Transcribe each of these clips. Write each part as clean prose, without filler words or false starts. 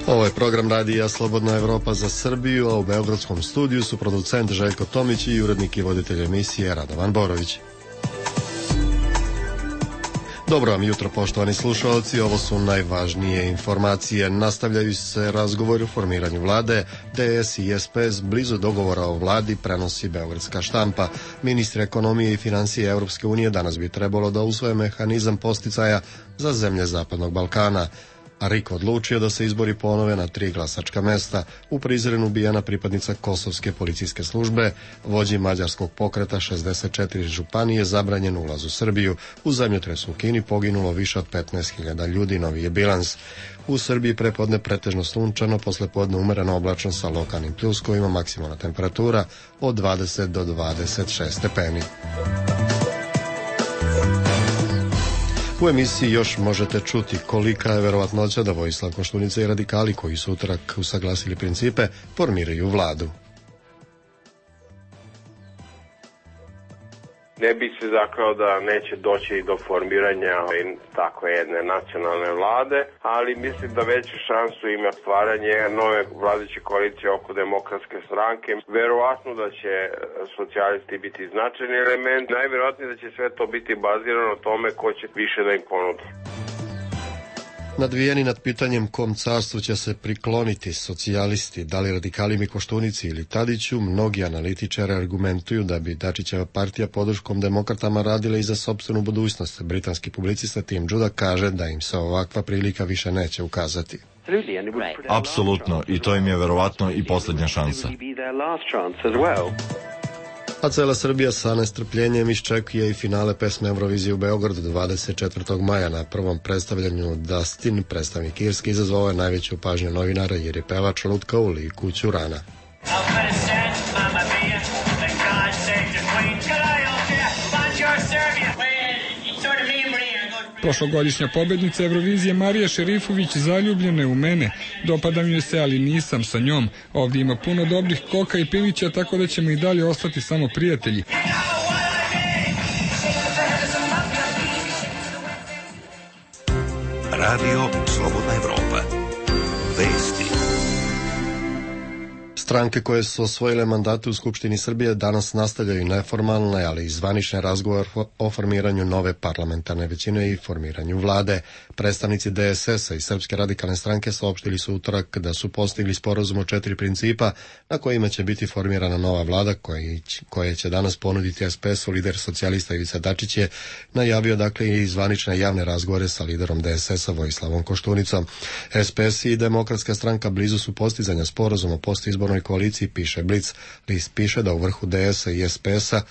Ovo je program radija Slobodna Evropa za Srbiju, a u beogradskom studiju su producent Željko Tomić i urednik i voditelj emisije Radovan Borović. Dobro vam jutro, poštovani slušalci, ovo su najvažnije informacije. Nastavljaju se razgovori o formiranju vlade. DS i SPS blizu dogovora o vladi, prenosi beogradska štampa. Ministri ekonomije i financije Europske unije danas bi trebalo da usvoje mehanizam posticaja za zemlje Zapadnog Balkana. A RIK odlučio da se izbori ponove na 3 glasačka mesta. U Prizrenu ubijena pripadnica kosovske policijske službe, vođi mađarskog pokreta 64 županije zabranjen ulaz u Srbiju. U zemljotresu u Kini poginulo više od 15.000 ljudi, novi je bilans. U Srbiji prepodne pretežno sunčano, poslepodne umereno oblačno sa lokalnim pljuskovima, maksimalna temperatura od 20 do 26 stepeni. U emisiji još možete čuti kolika je verovatnoća da Vojislav Koštunica i radikali koji su utorak usaglasili principe formiraju vladu. Ne bih se zaklao da neće doći do formiranja takve jedne nacionalne vlade, ali mislim da veću šansu ima stvaranje nove vladajuće koalicije oko Demokratske stranke. Verovatno da će socijalisti biti značajni element. Najverovatnije da će sve to biti bazirano na tome ko će više da im ponudi. Nadvijeni nad pitanjem kom carstvu će se prikloniti socijalisti, da li radikali Koštunici ili Tadiću, mnogi analitičari argumentuju da bi Dačićeva partija podrškom demokratama radila i za sopstvenu budućnost. Britanski publicista Tim Judah kaže da im se ovakva prilika više neće ukazati. Apsolutno, i to im je verovatno i poslednja šansa. A cela Srbija sa nestrpljenjem iščekuje i finale pesme Eurovizije u Beogradu 24. maja. Na prvom predstavljanju Dustin, predstavnik Irske, izazvao je najveću pažnju novinara jer je pevač lutkao u liku Ćurana. Prošlogodišnja pobednica Eurovizije Marija Šerifović zaljubljena je u mene. Dopada mi se, ali nisam sa njom. Ovdje ima puno dobrih koka i pilića, tako da ćemo i dalje ostati samo prijatelji. Radio Slobodna Evropa. Vesti. Stranke koje su osvojile mandate u Skupštini Srbije danas nastavljaju neformalne, ali i zvanične razgovor o formiranju nove parlamentarne većine i formiranju vlade. Predstavnici DSS-a i Srpske radikalne stranke saopštili su utorak da su postigli sporazum o 4 principa na kojima će biti formirana nova vlada koje će danas ponuditi SPS-u. Lider socijalista Ivica Dačić je najavio i zvanične javne razgovore sa liderom DSS-a Vojislavom Koštunicom. SPS i Demokratska stranka blizu su postizanja sporazuma o postizbornoj koaliciji, piše Blic. List piše da u vrhu DS-a i SPS-a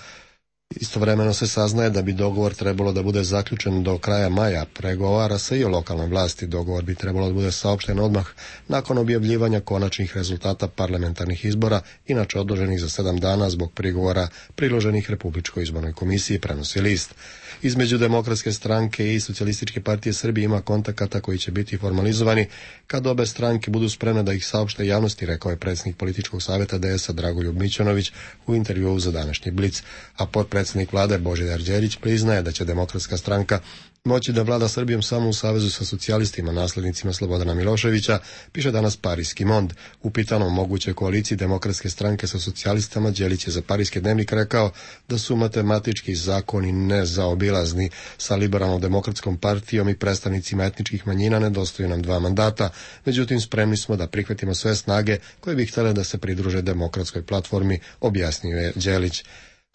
istovremeno se saznaje da bi dogovor trebalo da bude zaključen do kraja maja. Pregovara se i o lokalnoj vlasti. Dogovor bi trebalo da bude saopšten odmah nakon objavljivanja konačnih rezultata parlamentarnih izbora, inače odloženih za 7 dana zbog prigovora priloženih Republičkoj izbornoj komisiji, prenosi List. Između Demokratske stranke i Socijalističke partije Srbije ima kontakata koji će biti formalizovani kad obe stranke budu spremne da ih saopšte javnosti, rekao je predsjednik političkog savjeta DS-a Dragoljub Mićunović u intervjuu za današnji Blic. A potpredsjednik vlade Božidar Đelić priznaje da će Demokratska stranka moći da vlada Srbijom samo u savezu sa socijalistima, naslednicima Slobodana Miloševića, piše danas Parijski Mond. U pitanom mogućoj koaliciji Demokratske stranke sa socijalistama, Đelić je za Parijski dnevnik rekao da su matematički zakoni nezaobilazni. Sa liberalno-demokratskom partijom i predstavnicima etničkih manjina nedostaju nam 2 mandata, međutim spremni smo da prihvatimo sve snage koje bi htjele da se pridruže demokratskoj platformi, objasnio je Đelić.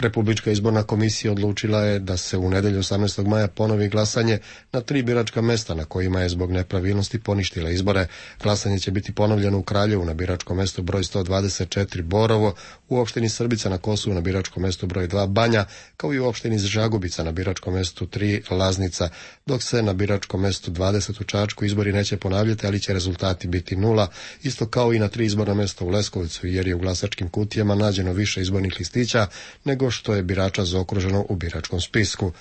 Republička izborna komisija odlučila je da se u nedelju 18. maja ponovi glasanje na 3 biračka mesta na kojima je zbog nepravilnosti poništila izbore. Glasanje će biti ponovljeno u Kraljevu na biračkom mestu broj 124 Borovo, u opštini Srbica na Kosovu na biračkom mestu broj 2 Banja, kao i u opštini Žagubica na biračkom mestu 3 Laznica, dok se na biračkom mestu 20 u Čačku izbori neće ponavljati, ali će rezultati biti 0, isto kao i na 3 izborna mesta u Leskovcu, jer je u glasačkim kutijama nađeno više izbornih listića nego što je birača zaokruženo u biračkom spisku.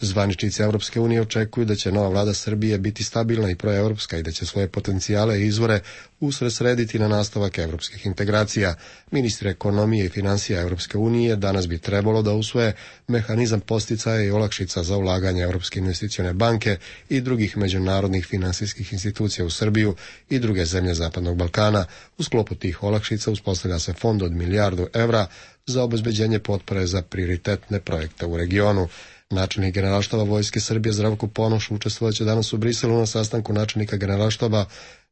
Zvaničnici Evropske unije očekuju da će nova vlada Srbije biti stabilna i proevropska i da će svoje potencijale i izvore usredsrediti na nastavak evropskih integracija. Ministri ekonomije i finansija Evropske unije danas bi trebalo da usvoje mehanizam podsticaja i olakšica za ulaganje Evropske investicione banke i drugih međunarodnih finansijskih institucija u Srbiju i druge zemlje Zapadnog Balkana. U sklopu tih olakšica uspostavlja se fond od €1.000.000.000 za obezbeđenje potpore za prioritetne projekte u regionu. Načelnik Generalštaba Vojske Srbije Zdravko Ponoš učestvovaće danas u Briselu na sastanku načelnika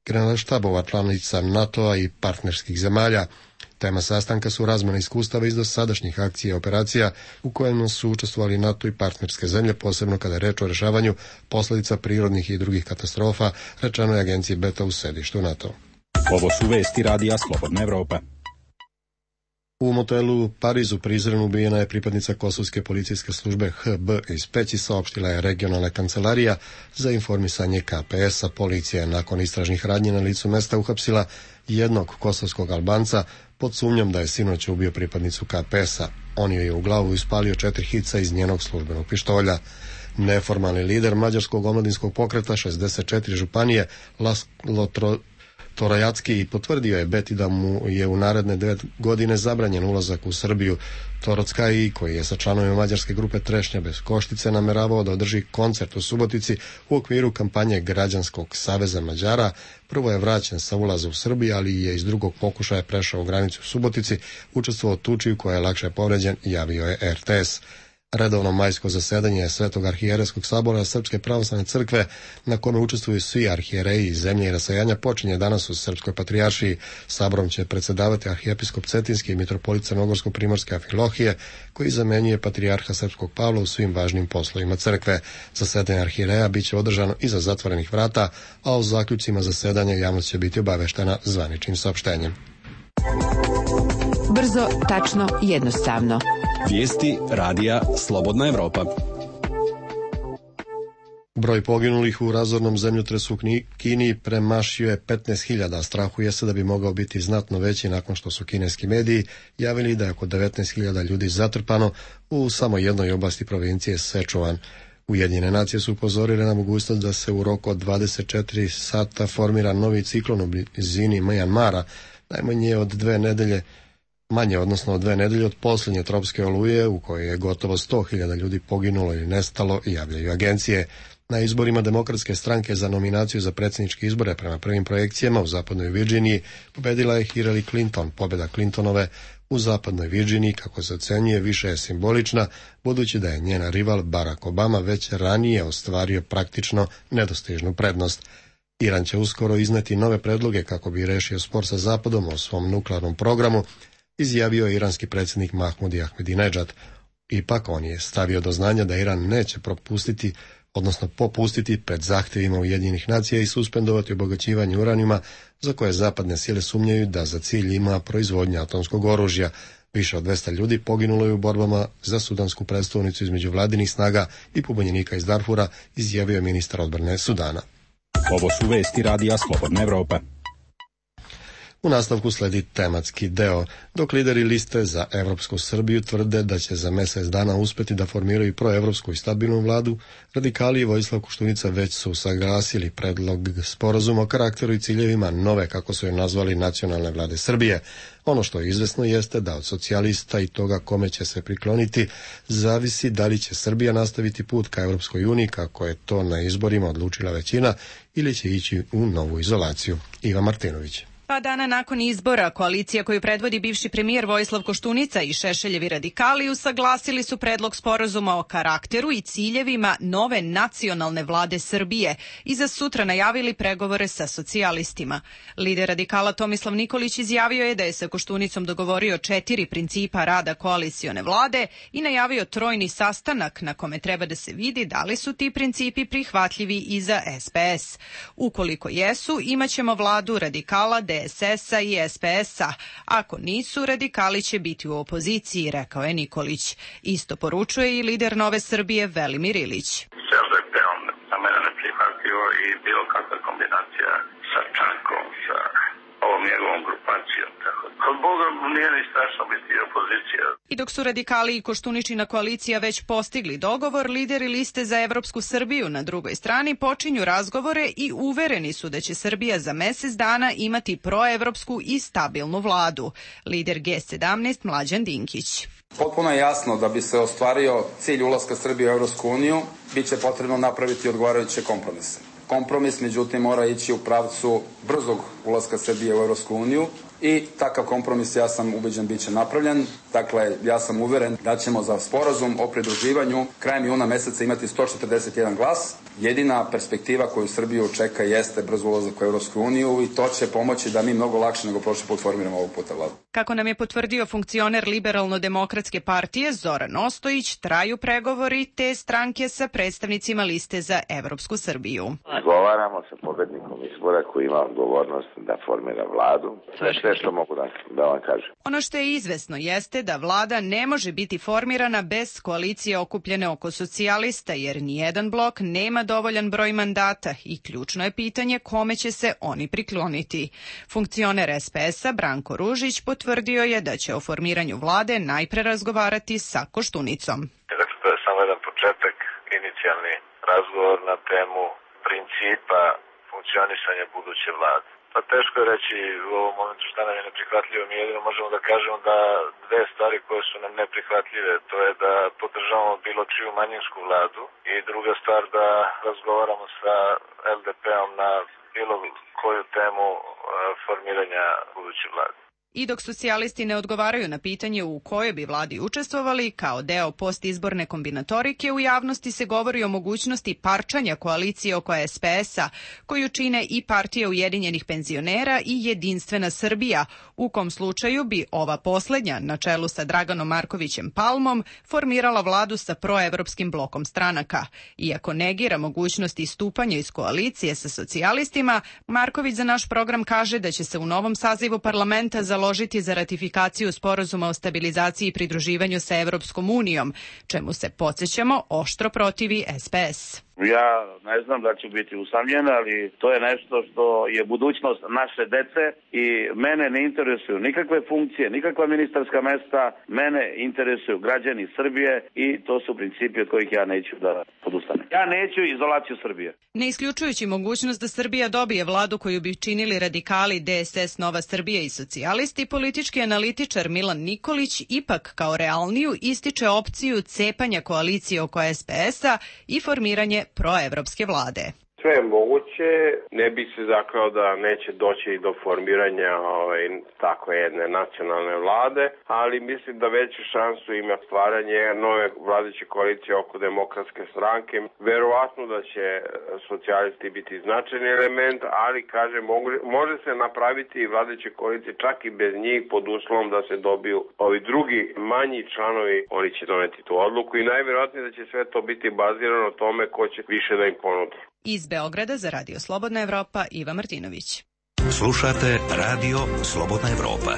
generalštabova članica NATO-a i partnerskih zemalja. Tema sastanka su razmjena iskustava iz dosadašnjih akcija i operacija u kojima su učestvovali NATO i partnerske zemlje, posebno kada je reč o rešavanju posledica prirodnih i drugih katastrofa, rečeno je agenciji Beta u sedištu NATO. Ovo su vesti Radija Slobodna Evropa. U motelu u Parizu Prizren ubijena je pripadnica kosovske policijske službe HB iz Peći, saopštila je regionalna kancelarija za informisanje KPS-a. Policija je nakon istražnih radnji na licu mesta uhapsila jednog kosovskog Albanca pod sumnjom da je sinoć ubio pripadnicu KPS-a. On joj je u glavu ispalio 4 hica iz njenog službenog pištolja. Neformalni lider mađarskog omladinskog pokreta 64 županije Laslo Torajacki potvrdio je Beti da mu je u naredne 9 godine zabranjen ulazak u Srbiju. Torockaji, koji je sa članovima mađarske grupe Trešnja bez Koštice nameravao da održi koncert u Subotici u okviru kampanje Građanskog saveza Mađara, prvo je vraćen sa ulaza u Srbiju, ali je iz drugog pokušaja prešao granicu u Subotici, učestvovao u tuči u kojoj je lakše povređen, javio je RTS. Redovno majsko zasedanje Svetog arhijerejskog sabora Srpske pravoslavne crkve, na kome učestvuju svi arhijereji iz zemlje i rasajanja, počinje danas u Srpskoj patrijaršiji. Saborom će predsedavati arhijepiskop Cetinski i mitropolit Crnogorsko-primorske Amfilohije, koji zamenjuje patrijarha Srpskog Pavla u svim važnim poslovima crkve. Zasedanje arhijereja biće održano iza zatvorenih vrata, a o zaključcima zasedanja javnost će biti obaveštena zvaničnim saopštenjem. Brzo, tačno, jednostavno. Vijesti Radija Slobodna Evropa. Broj poginulih u razornom zemljotresu u Kini premašio je 15.000. Strahuje se da bi mogao biti znatno veći nakon što su kineski mediji javili da je oko 19.000 ljudi zatrpano u samo jednoj oblasti provincije Sečuan. Ujedinjene nacije su upozorile na mogućnost da se u roku od 24 sata formira novi ciklon u blizini Mjanmara, najmanje od 2 nedelje od 2 nedelje od posljednje tropske oluje u kojoj je gotovo 100.000 ljudi poginulo ili nestalo, javljaju agencije. Na izborima Demokratske stranke za nominaciju za predsjedničke izbore prema prvim projekcijama u zapadnoj Virginiji pobedila je Hillary Clinton. Pobjeda Clintonove u zapadnoj Virginiji, kako se ocenjuje, više je simbolična, budući da je njena rival Barack Obama već ranije ostvario praktično nedostižnu prednost. Iran će uskoro izneti nove predloge kako bi rešio spor sa Zapadom o svom nuklearnom programu, izjavio je iranski predsjednik Mahmudi Ahmedinejad. Ipak on je stavio do znanja da Iran neće popustiti pred zahtjevima Ujedinjenih nacija i suspendovati obogaćivanje uranijuma, za koje zapadne sile sumnjaju da za cilj ima proizvodnja atomskog oružja. Više od 200 ljudi poginulo je u borbama za sudansku predstavnicu između vladinih snaga i pobunjenika iz Darfura, izjavio je ministar odbrane Sudana. Ovo su vesti Radija Slobodna Evropa. U nastavku sledi tematski deo. Dok lideri liste za Evropsku Srbiju tvrde da će za mjesec dana uspjeti da formiraju proevropsku i stabilnu vladu, radikali i Vojislav Koštunica već su saglasili predlog sporazuma o karakteru i ciljevima nove, kako su je nazvali, nacionalne vlade Srbije. Ono što je izvesno jeste da od socijalista i toga kome će se prikloniti zavisi da li će Srbija nastaviti put ka Evropskoj uniji, kako je to na izborima odlučila većina, ili će ići u novu izolaciju. Iva Martinović. Pa dana nakon izbora, koalicija koju predvodi bivši premijer Vojislav Koštunica i Šešeljevi radikali usaglasili su predlog sporazuma o karakteru i ciljevima nove nacionalne vlade Srbije i za sutra najavili pregovore sa socijalistima. Lider radikala Tomislav Nikolić izjavio je da je sa Koštunicom dogovorio 4 principa rada koalicione vlade i najavio trojni sastanak na kome treba da se vidi da li su ti principi prihvatljivi i za SPS. Ukoliko jesu, imaćemo vladu radikala, DSS-a i SPS-a. Ako nisu, radikali će biti u opoziciji, rekao je Nikolić. Isto poručuje i lider Nove Srbije Velimir Ilić. SDP on za mene ne prihvatio i bilo kakva kombinacija sa Čankom, sa ovom njegovom grupacijom, tako da Kod Boga nije ni strašno biti opozicija. I dok su radikali i Koštuničina koalicija već postigli dogovor, lideri liste za Evropsku Srbiju na drugoj strani počinju razgovore i uvereni su da će Srbija za mesec dana imati proevropsku i stabilnu vladu. Lider G17 Mlađan Dinkić. Potpuno je jasno da bi se ostvario cilj ulaska Srbije u Evropsku uniju, bit će potrebno napraviti odgovarajuće kompromise. Kompromis, međutim, mora ići u pravcu brzog ulaska Srbije u Evropsku uniju i takav kompromis, ja sam ubeđen, bit će napravljen. Dakle, ja sam uveren da ćemo za sporazum o pridruživanju krajem juna meseca imati 141 glas. Jedina perspektiva koju Srbiju čeka jeste brz ulazak u Evropsku uniju i to će pomoći da mi mnogo lakše nego prošli put formiramo ovog puta vladu. Kako nam je potvrdio funkcioner Liberalno-demokratske partije Zoran Ostojić, traju pregovori te stranke sa predstavnicima liste za Evropsku Srbiju. Razgovaramo sa pobednikom izbora koji ima odgovornost da formira vladu. Sve što mogu da vam kažem. Ono što je izvesno jeste da vlada ne može biti formirana bez koalicije okupljene oko socijalista, jer nijedan blok nema dovoljan broj mandata i ključno je pitanje kome će se oni prikloniti. Funkcioner SPS-a Branko Ružić potvrdio je da će o formiranju vlade najpre razgovarati sa Koštunicom. Dakle, to je samo jedan početak, inicijalni razgovor na temu principa funkcionisanja buduće vlade. Pa teško je reći u ovom momentu šta nam je neprihvatljivo. Mi jedino možemo da kažemo da dve stvari koje su nam neprihvatljive, to je da podržavamo bilo čiju manjinsku vladu i druga stvar da razgovaramo sa LDP-om na bilo koju temu formiranja buduće vlade. I dok socijalisti ne odgovaraju na pitanje u kojoj bi vladi učestvovali, kao deo postizborne kombinatorike, u javnosti se govori o mogućnosti parčanja koalicije oko SPS-a, koju čine i Partija Ujedinjenih penzionera i Jedinstvena Srbija, u kom slučaju bi ova poslednja, na čelu sa Draganom Markovićem Palmom, formirala vladu sa proevropskim blokom stranaka. Iako negira mogućnost istupanja iz koalicije sa socijalistima, Marković za naš program kaže da će se u novom sazivu parlamenta založiti za ratifikaciju sporazuma o stabilizaciji i pridruživanju sa Evropskom unijom, čemu se, podsjećamo, oštro protivi SPS. Ja ne znam da ću biti usamljen, ali to je nešto što je budućnost naše dece i mene ne interesuju nikakve funkcije, nikakva ministarska mesta, mene interesuju građani Srbije i to su principi od kojih ja neću da podustanem. Ja neću izolaciju Srbije. Ne isključujući mogućnost da Srbija dobije vladu koju bi činili radikali, DSS, Nova Srbija i socijalisti, politički analitičar Milan Nikolić ipak kao realniju ističe opciju cepanja koalicije oko SPS-a i formiranje proevropske vlade. Sve je moguće, ne bih se zaklao da neće doći do formiranja tako jedne nacionalne vlade, ali mislim da veću šansu ima stvaranje nove vladajuće koalicije oko demokratske stranke. Verovatno da će socijalisti biti značajni element, ali kažem, može se napraviti vladajuće koalicije čak i bez njih pod uslovom da se dobiju ovi drugi manji članovi, oni će doneti tu odluku i najverovatnije da će sve to biti bazirano na tome ko će više da im ponudi. Iz Beograda za Radio Slobodna Evropa, Iva Martinović. Slušate Radio Slobodna Evropa.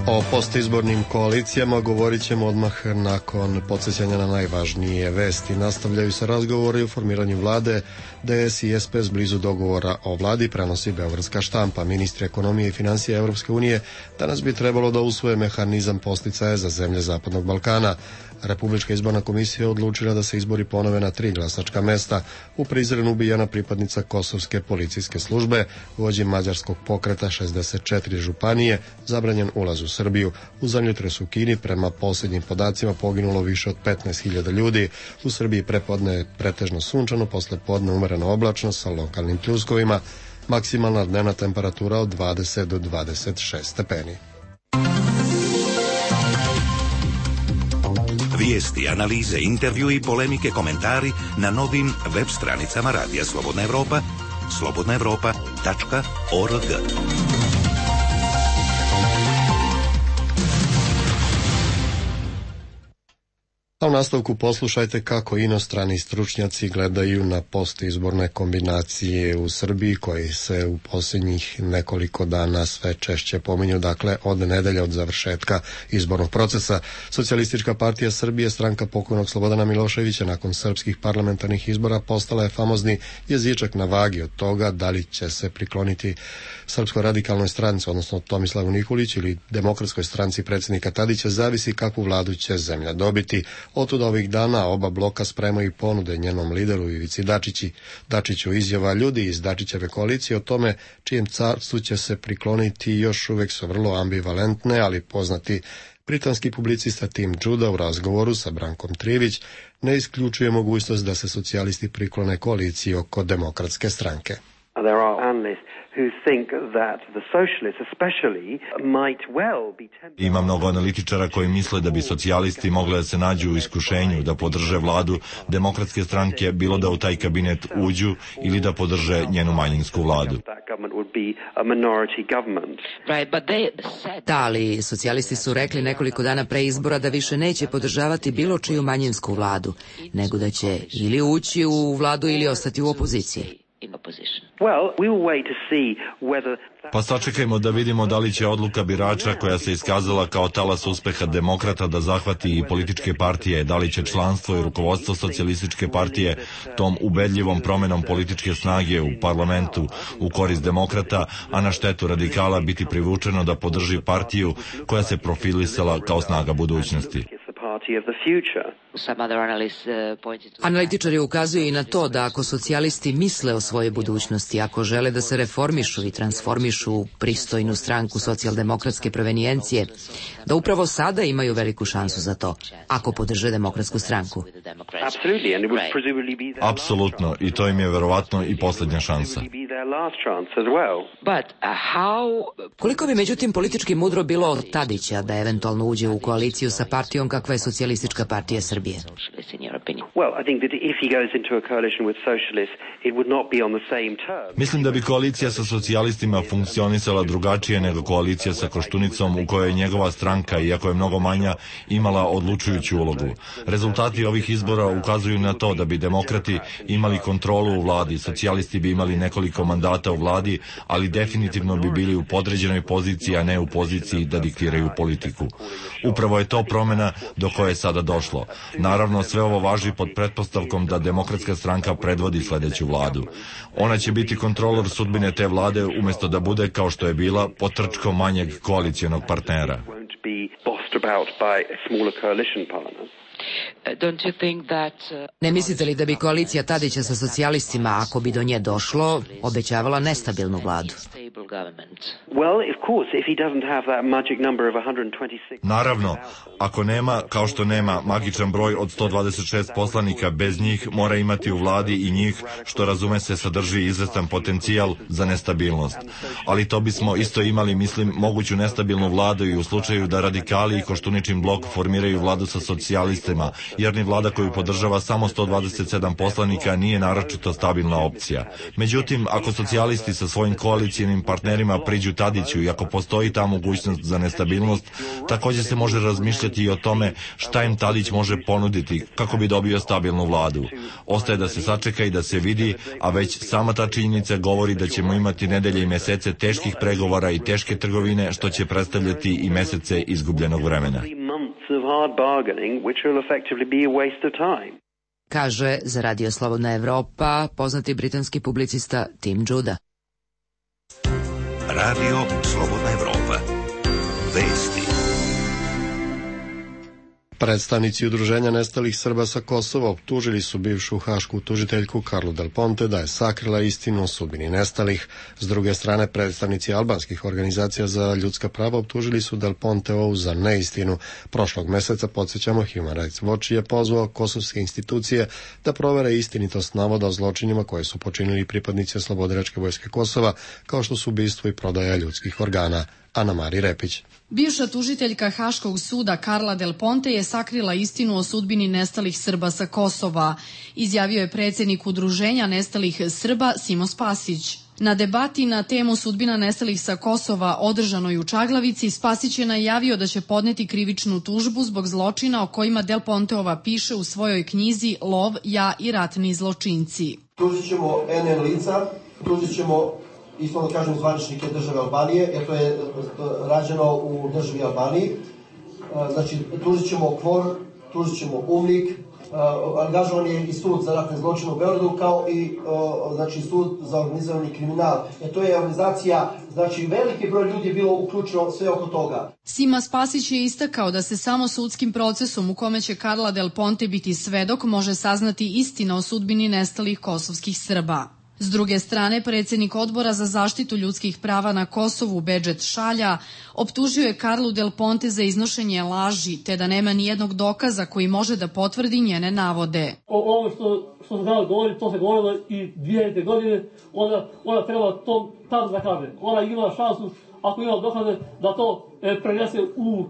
O postizbornim koalicijama govorit ćemo odmah nakon podsjećanja na najvažnije vesti. Nastavljaju se razgovori o formiranju vlade. DS i SPS blizu dogovora o vladi, prenosi Beogradska štampa. Ministri ekonomije i financija Evropske unije danas bi trebalo da usvoje mehanizam podsticaja za zemlje Zapadnog Balkana. Republička izborna komisija odlučila da se izbori ponove na 3 glasačka mesta. U Prizrenu ubijena pripadnica kosovske policijske službe, vođi mađarskog pokreta 64 županije, zabranjen ulaz u Srbiju. U zemljotresu u Kini prema posljednjim podacima poginulo više od 15.000 ljudi. U Srbiji prepodne je pretežno sunčano, posle podne umereno oblačno sa lokalnim pljuskovima. Maksimalna dnevna temperatura od 20 do 26 stepeni. Vijesti, analize, intervju i polemike, komentari na novim web stranicama Radija Slobodna Evropa, slobodnaevropa.org. A u nastavku poslušajte kako inostrani stručnjaci gledaju na postizborne kombinacije u Srbiji koji se u posljednjih nekoliko dana sve češće pominju, dakle od nedelje od završetka izbornog procesa. Socijalistička partija Srbije, stranka pokojnog Slobodana Miloševića, nakon srpskih parlamentarnih izbora postala je famozni jezičak na vagi od toga da li će se prikloniti Srpskoj radikalnoj stranci, odnosno Tomislavu Nikoliću ili Demokratskoj stranci predsjednika Tadića, zavisi kakvu vladu će zemlja dobiti. Otud ovih dana oba bloka spremaju ponude njenom lideru Ivici Dačiću. Izjava ljudi iz Dačićeve koalicije o tome čijem carstvu će se prikloniti još uvijek su vrlo ambivalentne, ali poznati britanski publicista Tim Judah u razgovoru sa Brankom Trivić ne isključuje mogućnost da se socijalisti priklone koaliciji oko Demokratske stranke. There are analysts who think that the socialists especially might well be tempted. Ima mnogo analitičara koji misle da bi socijalisti mogli da se nađu u iskušenju da podrže vladu Demokratske stranke, bilo da u taj kabinet uđu ili da podrže njenu manjinsku vladu. Da, ali socijalisti su rekli nekoliko dana pre izbora da više neće podržavati bilo čiju manjinsku vladu, nego da će ili ući u vladu ili ostati u opoziciji. Pa sačekajmo da vidimo da li će odluka birača koja se iskazala kao talas uspeha demokrata da zahvati i političke partije, da li će članstvo i rukovodstvo socijalističke partije tom ubedljivom promenom političke snage u parlamentu u korist demokrata, a na štetu radikala biti privučeno da podrži partiju koja se profilisala kao snaga budućnosti. Analitičari ukazuju i na to da ako socijalisti misle o svojoj budućnosti, ako žele da se reformišu i transformišu u pristojnu stranku socijaldemokratske provenijencije, da upravo sada imaju veliku šansu za to, ako podrže Demokratsku stranku. Apsolutno, i to im je verovatno i posljednja šansa. Koliko bi međutim politički mudro bilo od Tadića da eventualno uđe u koaliciju sa partijom kakva je Socijalistička partija Srbije? Mislim da bi koalicija sa socijalistima funkcionisala drugačije nego koalicija sa Koštunicom u kojoj je njegova stranka, iako je mnogo manja, imala odlučujuću ulogu. Rezultati ovih izbora ukazuju na to da bi demokrati imali kontrolu u vladi, socijalisti bi imali nekoliko mandata u vladi, ali definitivno bi bili u podređenoj poziciji, a ne u poziciji da diktiraju politiku. Upravo je to promjena do koje je sada došlo. Naravno, sve ovo važi pod pretpostavkom da Demokratska stranka predvodi sljedeću vladu. Ona će biti kontrolor sudbine te vlade umjesto da bude, kao što je bila, potrčkom manjeg koalicijonog partnera. Ne mislite li da bi koalicija Tadića sa socijalistima, ako bi do nje došlo, obećavala nestabilnu vladu? Naravno, ako nema, kao što nema magičan broj od 126 poslanika, bez njih mora imati u vladi i njih, što razume se sadrži izvestan potencijal za nestabilnost. Ali to bismo isto imali, mislim, moguću nestabilnu vladu i u slučaju da radikali i Koštuničin blok formiraju vladu sa socijalistima, jer ni vlada koju podržava samo 127 poslanika nije naročito stabilna opcija. Međutim, ako socijalisti sa svojim koalicijenim partnerima priđu Tadiću i ako postoji ta mogućnost za nestabilnost, također se može razmišljati i o tome šta im Tadić može ponuditi kako bi dobio stabilnu vladu. Ostaje da se sačeka i da se vidi, a već sama ta činjenica govori da ćemo imati nedelje i mesece teških pregovora i teške trgovine, što će predstavljati i mesece izgubljenog vremena. Kaže za Radio Slobodna Evropa poznati britanski publicista Tim Judah. Radio Slobodna Evropa. Vesti. Predstavnici Udruženja nestalih Srba sa Kosova optužili su bivšu hašku tužiteljku Karlu Del Ponte da je sakrila istinu o sudbini nestalih. S druge strane, predstavnici albanskih organizacija za ljudska prava optužili su Del Ponteovu za neistinu. Prošlog meseca, podsjećamo, Human Rights Watch je pozvao kosovske institucije da provere istinitost navoda o zločinima koje su počinili pripadnici Oslobodilačke vojske Kosova, kao što su ubistvo i prodaja ljudskih organa. Ana Mari Repić. Bivša tužiteljka Haškog suda Karla Del Ponte je sakrila istinu o sudbini nestalih Srba sa Kosova, izjavio je predsjednik Udruženja nestalih Srba Simo Spasić. Na debati na temu sudbina nestalih sa Kosova održanoj u Čaglavici, Spasić je najavio da će podneti krivičnu tužbu zbog zločina o kojima Del Ponteova piše u svojoj knjizi Lov, ja i ratni zločinci. Tužit ćemo NN lica, tužit ćemo isto da kažem zvaničnike države Albanije, jer to je rađeno u državi Albaniji. Znači, tužit ćemo KFOR, tužit ćemo UMNIK, angažovan je i sud za ratne zločine u Beogradu, kao i znači, sud za organizovani kriminal. To je organizacija, znači veliki broj ljudi je bilo uključeno sve oko toga. Sima Spasić je istakao da se samo sudskim procesom u kome će Carla Del Ponte biti svedok može saznati istina o sudbini nestalih kosovskih Srba. S druge strane, predsjednik Odbora za zaštitu ljudskih prava na Kosovu, Bedžet Šalja, optužio je Carlu Del Ponte za iznošenje laži, te da nema nijednog dokaza koji može da potvrdi njene navode. Ovo što se danas govori, to se govorilo i 2000. godine, ona treba to tam da kaže. Ona ima šansu, ako ima dokaze, da to prenese u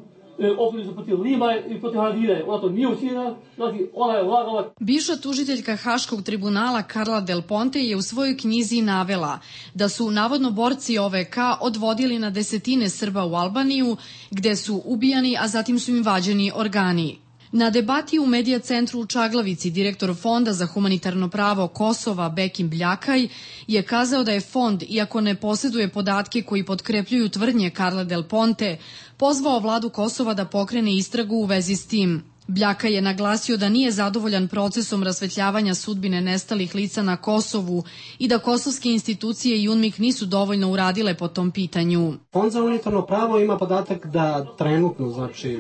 optužnicu protiv Lima i protiv Haradine. Ona to nije učinjena, znači ona je lagala. Bivša tužiteljka Haškog tribunala Carla Del Ponte je u svojoj knjizi navela da su navodno borci OVK odvodili na desetine Srba u Albaniju, gde su ubijani, a zatim su im vađeni organi. Na debati u Medija centru u Čaglavici direktor Fonda za humanitarno pravo Kosova Bekim Bljakaj je kazao da je fond, iako ne posjeduje podatke koji potkrepljuju tvrdnje Carle Del Ponte, pozvao vladu Kosova da pokrene istragu u vezi s tim. Bljakaj je naglasio da nije zadovoljan procesom rasvetljavanja sudbine nestalih lica na Kosovu i da kosovske institucije i UNMIK nisu dovoljno uradile po tom pitanju. Fond za humanitarno pravo ima podatak da trenutno, znači,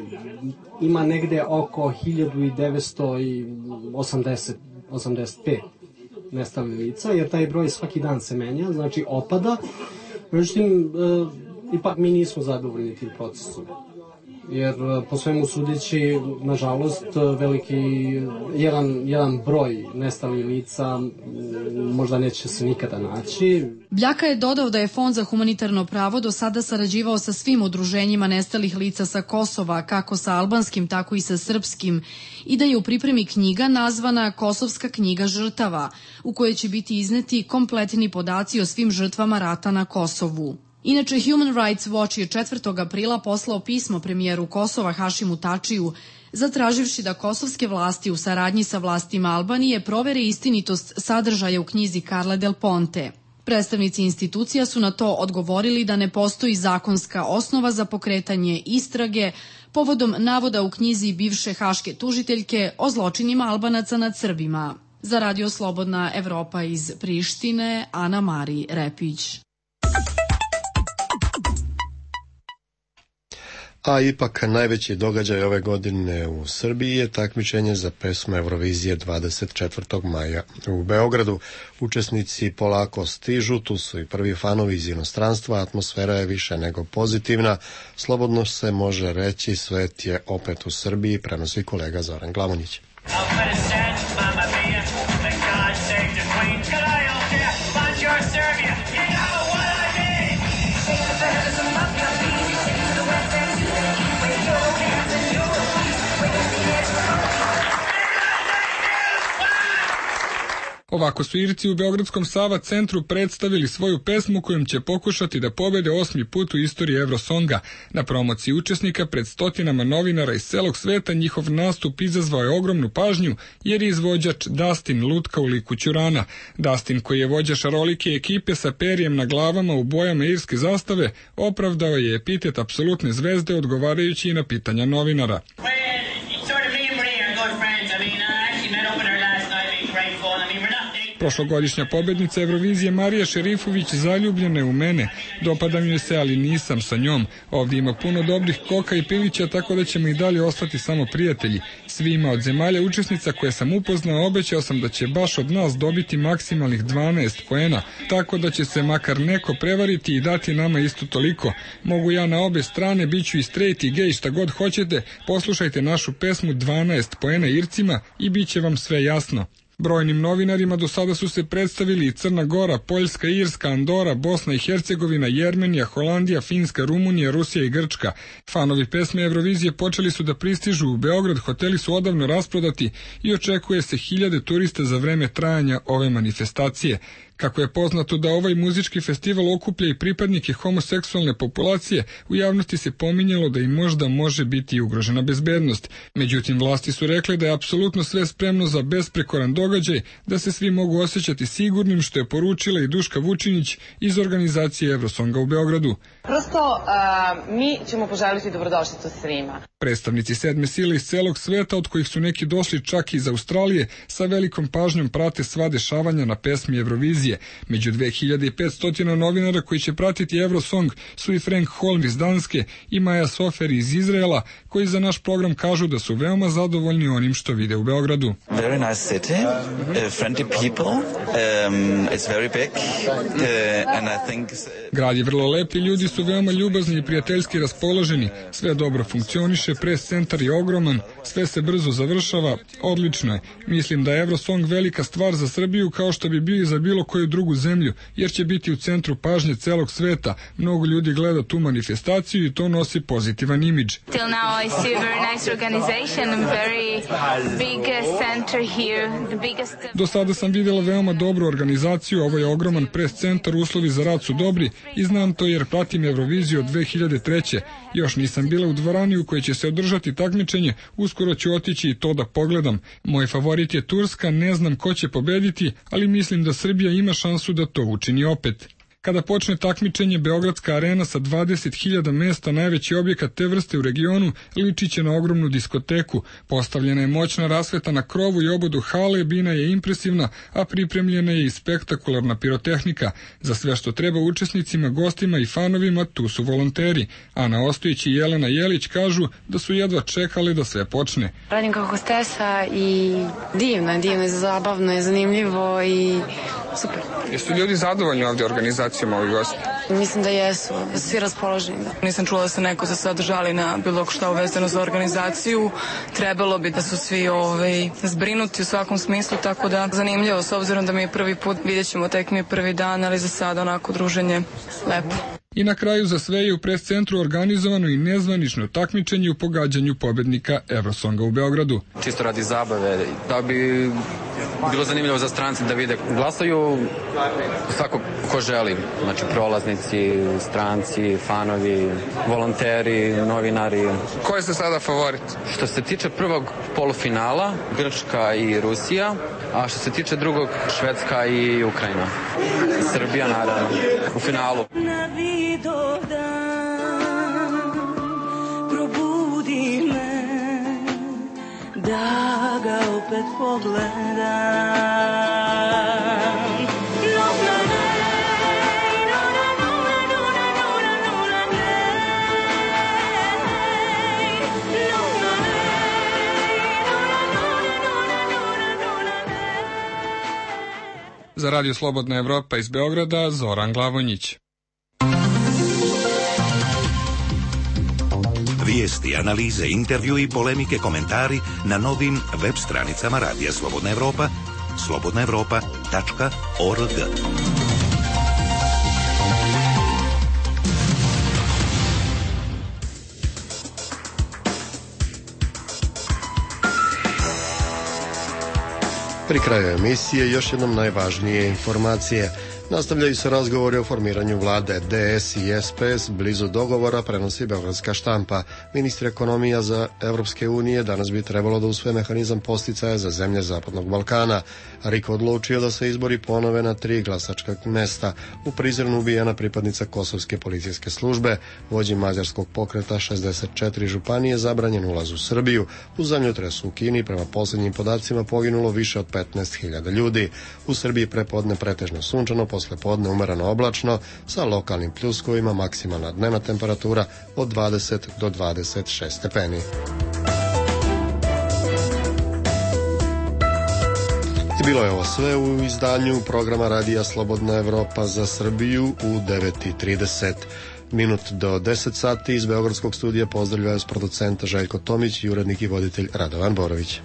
ima negde oko 1985 nestalih lica, jer taj broj svaki dan se menja, znači opada. Međutim, ipak mi nismo zadovoljni tim procesom. Jer po svemu sudeći, nažalost, veliki jedan broj nestalih lica možda neće se nikada naći. Bljaka je dodao da je Fond za humanitarno pravo do sada sarađivao sa svim udruženjima nestalih lica sa Kosova, kako sa albanskim, tako i sa srpskim, i da je u pripremi knjiga nazvana Kosovska knjiga žrtava, u kojoj će biti izneti kompletni podaci o svim žrtvama rata na Kosovu. Inače, Human Rights Watch je 4. aprila poslao pismo premijeru Kosova Hašimu Tačiju, zatraživši da kosovske vlasti u saradnji sa vlastima Albanije provere istinitost sadržaja u knjizi Carle Del Ponte. Predstavnici institucija su na to odgovorili da ne postoji zakonska osnova za pokretanje istrage povodom navoda u knjizi bivše haške tužiteljke o zločinima Albanaca nad Srbima. Za Radio Slobodna Evropa iz Prištine, Ana Mari Repić. A ipak najveći događaj ove godine u Srbiji je takmičenje za pesmu Eurovizije 24. maja u Beogradu. Učesnici polako stižu, tu su i prvi fanovi iz inostranstva, atmosfera je više nego pozitivna. Slobodno se može reći, svet je opet u Srbiji, prenosi kolega Zoran Glamonjić. Ovako su Irci u Beogradskom Sava centru predstavili svoju pesmu kojom će pokušati da pobede 8. put u istoriji Eurosonga. Na promociji učesnika pred stotinama novinara iz celog sveta njihov nastup izazvao je ogromnu pažnju jer je izvođač Dustin lutka u liku Ćurana. Dustin, koji je vođa šarolike ekipe sa perijem na glavama u bojama irske zastave, opravdao je epitet apsolutne zvezde odgovarajući i na pitanja novinara. Prošlogodišnja pobednica Eurovizije Marija Šerifović zaljubljena je u mene. Dopadam joj se, ali nisam sa njom. Ovdje ima puno dobrih koka i pilića, tako da ćemo i dalje ostati samo prijatelji. Svima od zemalja učesnica koje sam upoznao obećao sam da će baš od nas dobiti maksimalnih 12 poena, tako da će se makar neko prevariti i dati nama isto toliko. Mogu ja na obe strane, bit ću i straight i gay, šta god hoćete. Poslušajte našu pesmu 12 poena Ircima i bit će vam sve jasno. Brojnim novinarima do sada su se predstavili i Crna Gora, Poljska, Irska, Andora, Bosna i Hercegovina, Jermenija, Holandija, Finska, Rumunija, Rusija i Grčka. Fanovi pesme Eurovizije počeli su da pristižu u Beograd, hoteli su odavno rasprodati i očekuje se 1000 turista za vreme trajanja ove manifestacije. Kako je poznato da ovaj muzički festival okuplja i pripadnike homoseksualne populacije, u javnosti se pominjalo da im možda može biti ugrožena bezbednost. Međutim, vlasti su rekle da je apsolutno sve spremno za besprekoran događaj, da se svi mogu osjećati sigurnim, što je poručila i Duška Vučinić iz organizacije Evrosonga u Beogradu. Prosto mi ćemo poželiti dobrodošlicu svima. Predstavnici sedme sile iz celog sveta, od kojih su neki došli čak iz Australije, sa velikom pažnjom prate sva dešavanja na pesmi Eurovizije. Među 2500 novinara koji će pratiti Evrosong su i Frank Holm iz Danske i Maja Sofer iz Izraela, koji za naš program kažu da su veoma zadovoljni onim što vide u Beogradu. Very nice city, friendly people, it's very big, and I think... Grad je vrlo lep i ljudi su veoma ljubazni i prijateljski raspoloženi. Sve dobro funkcioniše, pres centar je ogroman, sve se brzo završava, odlično je. Mislim da je Evrosong velika stvar za Srbiju, kao što bi bio i za bilo koju drugu zemlju, jer će biti u centru pažnje celog sveta. Mnogo ljudi gleda tu manifestaciju i to nosi pozitivan imidž. Till now I see a very nice organization and very big center here, the biggest... Do sada sam videla veoma dobru organizaciju, ovo je ogroman pres centar, uslovi za rad su dobri i znam to jer pratim Euroviziju od 2003. Još nisam bila u dvorani u kojoj će se održati takmičenje, uskoro ću otići i to da pogledam. Moj favorit je Turska, ne znam ko će pobediti, ali mislim da Srbija ima šansu da to učini opet. Kada počne takmičenje, Beogradska arena sa 20.000 mesta, najveći objekat te vrste u regionu, liči će na ogromnu diskoteku. Postavljena je moćna rasveta na krovu i obodu hale, bina je impresivna, a pripremljena je i spektakularna pirotehnika. Za sve što treba učesnicima, gostima i fanovima, tu su volonteri. Ana Ostojić i Jelena Jelić kažu da su jedva čekali da sve počne. Radim kao hostesa i divno je, zabavno je, zanimljivo i super. Jesu ljudi zadovoljni ovdje organizacijom ovih gosti? Mislim da jesu, svi raspoloženi. Nisam čula da se neko za sad žali na bilo šta uvezano za organizaciju. Trebalo bi da su svi zbrinuti u svakom smislu, tako da zanimljivo, s obzirom da mi je prvi put, vidjet ćemo, tek mi je prvi dan, ali za sad onako druženje lepo. I na kraju za sve je u pres centru organizovano i nezvanično takmičenje u pogađanju pobednika Evrosonga u Beogradu. Čisto radi zabave, da bi bilo zanimljivo za strance da vide. Glasaju svako ko želi, znači prolaznici, stranci, fanovi, volonteri, novinari. Ko je se sada favorit? Što se tiče prvog polufinala, Grčka i Rusija, a što se tiče drugog, Švedska i Ukrajina. Srbija naravno u finalu. Probudi me da ga opet pogledam. Za Radio Slobodna Evropa iz Beograda, Zoran Glavonjić. Vijesti, analize, intervju i polemike, komentari na novim web stranicama Radija Slobodna Evropa, slobodnaevropa.org. Pri kraju emisije još jednom najvažnije informacije. Nastavljaju se razgovori o formiranju vlade. DS i SPS blizu dogovora, prenosi Beogradska štampa. Ministri ekonomija za Evropske unije danas bi trebalo da usvoje mehanizam posticaja za zemlje Zapadnog Balkana. RIK odlučio da se izbori ponove na 3 glasačka mesta. U Prizrenu ubijena pripadnica kosovske policijske službe. Vođi mađarskog pokreta 64 županije zabranjen ulaz u Srbiju. U zemljotresu u Kini prema posljednjim podacima poginulo više od 15.000 ljudi. U Srbiji prepodne pretežno sunčano, posle podne umereno oblačno, sa lokalnim pljuskovima, maksimalna dnevna temperatura od 20 do 26 stepeni. I bilo je ovo sve u izdanju programa Radija Slobodna Evropa za Srbiju u 9:30 minut do 10 sati. Iz Beogradskog studija pozdravljaju vas producent Željko Tomić i urednik i voditelj Radovan Borović.